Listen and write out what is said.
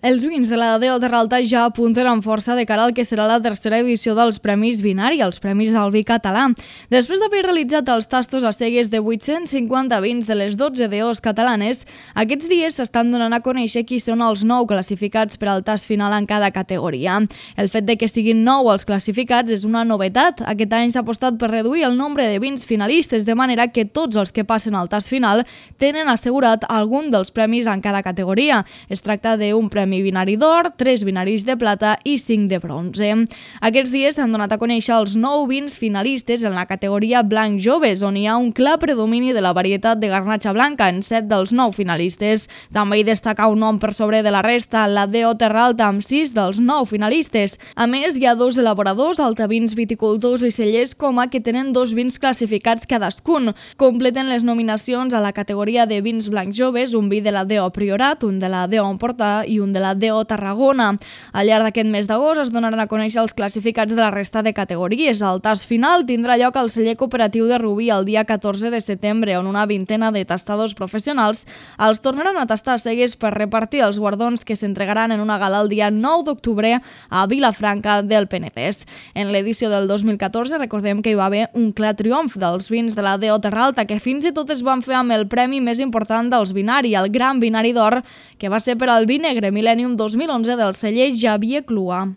Els vins de la DO Terra Alta ja apunten amb força de cara al que serà la tercera edició dels Premis Vinari, els Premis del Vi Català. Després d'haver realitzat els tastos a cegues de 850 vins de les 12 DOs catalanes, aquests dies s'estan donant a conèixer qui són els 9 classificats per al tast final en cada categoria. El fet de que siguin 9 els classificats és una novetat. Aquest any s'ha apostat per reduir el nombre de vins finalistes, de manera que tots els que passen al tast final tenen assegurat algun dels premis en cada categoria. Es tracta d'un premi vinari d'or, 3 vinaris de plata i 5 de bronze. Aquests dies s'han donat a conèixer els 9 vins finalistes en la categoria blanc joves, on hi ha un clar predomini de la varietat de garnatxa blanca en 7 dels 9 finalistes. També hi destaca un nom per sobre de la resta, la DO Terra Alta, amb 6 dels 9 finalistes. A més, hi ha 2 elaboradors, altavins, viticultors i cellers Coma, que tenen 2 vins classificats cadascun. Completen les nominacions a la categoria de vins blancs joves, un vi de la DO Priorat, un de la DO Empordà i un de la DO Tarragona. Al llarg d'aquest mes d'agost es donaran a conèixer els classificats de la resta de categories. El tast final tindrà lloc al celler cooperatiu de Rubí el dia 14 de setembre, on una vintena de tastadors professionals els tornaran a tastar cegues per repartir els guardons que s'entregaran en una gala el dia 9 d'octubre a Vilafranca del Penedès. En l'edició del 2014 recordem que hi va haver un clar triomf dels vins de la DO Terra Alta, que fins i tot es van fer amb el premi més important dels Vinari, el Gran Vinari d'Or, que va ser per al vi negre Millennium 2011 del celler Xavier Clua.